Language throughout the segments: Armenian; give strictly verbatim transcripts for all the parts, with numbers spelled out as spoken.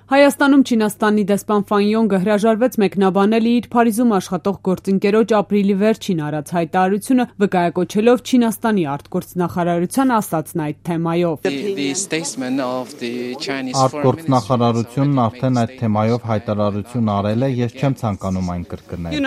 Հայաստանում Չինաստանի դեսպան Ֆան Յոնգը հրաժարվեց մեկնաբանել իր Փարիզում աշխատող գործընկերոջ ապրիլի վերջին արած հայտարարությունը, վկայակոչելով Չինաստանի արտգործնախարարության ասածն այդ թեմայով։ Արտգործնախարարությունն արդեն այդ թեմայով հայտարարություն արել է, ես չեմ ցանկանում այն կրկնել։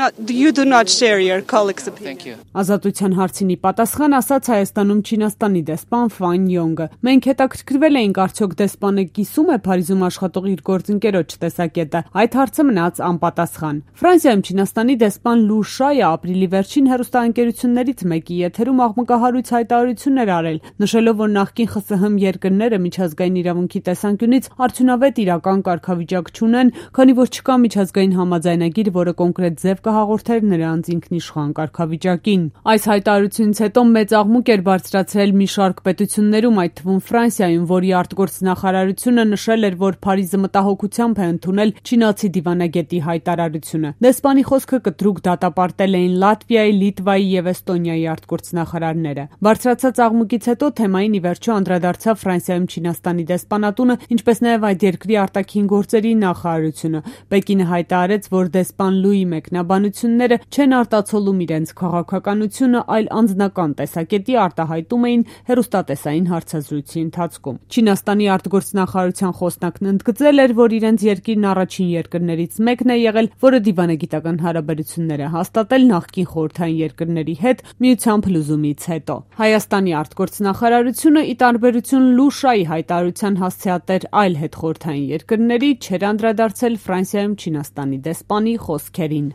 Ազատության հարցին ի պատասխան ասաց Հայաստանում Չինաստանի դեսպան Ֆան Յոնգը։ Մենք հետաքրքրվել էինք, արդյոք դեսպանը կիսում է Փարիզում աշխատող իր գործընկերոջ տեսակետը, այդ հարցը մնաց անպատասխան։ Ֆրանսիայում Չինաստանի դեսպան Լու Շայը ապրիլի վերջին հեռուստաընկերություններից մեկի եթերում աղմկահարույց հայտարարություններ արել, նշելով, որ նախկին ԽՍՀՄ երկրները միջազգային իրավունքի տեսանկյունից արդյունավետ իրական կարգավիճակ չունեն, քանի որ չկա միջազգային համաձայնագիր, որը կոնկրետ ձև կհաղորդեր նրանց ինքնիշխան կարգավիճակին։ Այս հայտարարությունից հետո մեծ աղմուկ էր բարձրացրել մի շարք պետություններում, այդ թվում Ֆրանսիայում, որի արտգործնախարարությունը նշել էր, որ Փարիզը մտահոգությամբ է ընդունել չինացի դիվանագետի հայտարարությունը։ Դեսպանի խոսքը կտրուկ դատապարտել էին Լատվիայի, Լիտվայի եւ Էստոնիայի արտգործնախարարները։ Բարձրացած աղմուկից հետո թեմային ի վերջո անդրադարձավ Ֆրանսիայում Չինաստանի դեսպանատունը, ինչպես նաեւ այդ երկրի արտաքին գործերի նախարարությունը։ Պեկինը հայտարարեց, որ դեսպան Լուի մեկնաբանությունները չեն արտացոլում իրենց քաղաքականությունը, այլ անձնական տեսակետի արտահայտում էին հեռուստատեսային հարցազրույցի ընթացքում։ Չինաստանի արտգործնախարարության խոսնակն ընդգծել էր, որ իրենց երկիրն առաջին երկրներից մեկն է եղել, որը դիվանագիտական հարաբերություններ է հաստատել նախկին խորհրդային երկրների հետ միության փլուզումից հետո։ Հայաստանի արտգործնախարարությունը, ի տարբերություն Լու Շայի հայտարարության հասցեատեր այլ հետխորհրդային երկրների, չէր անդրադարձել Ֆրանսիայում Չինաստանի դեսպանի խոսքերին։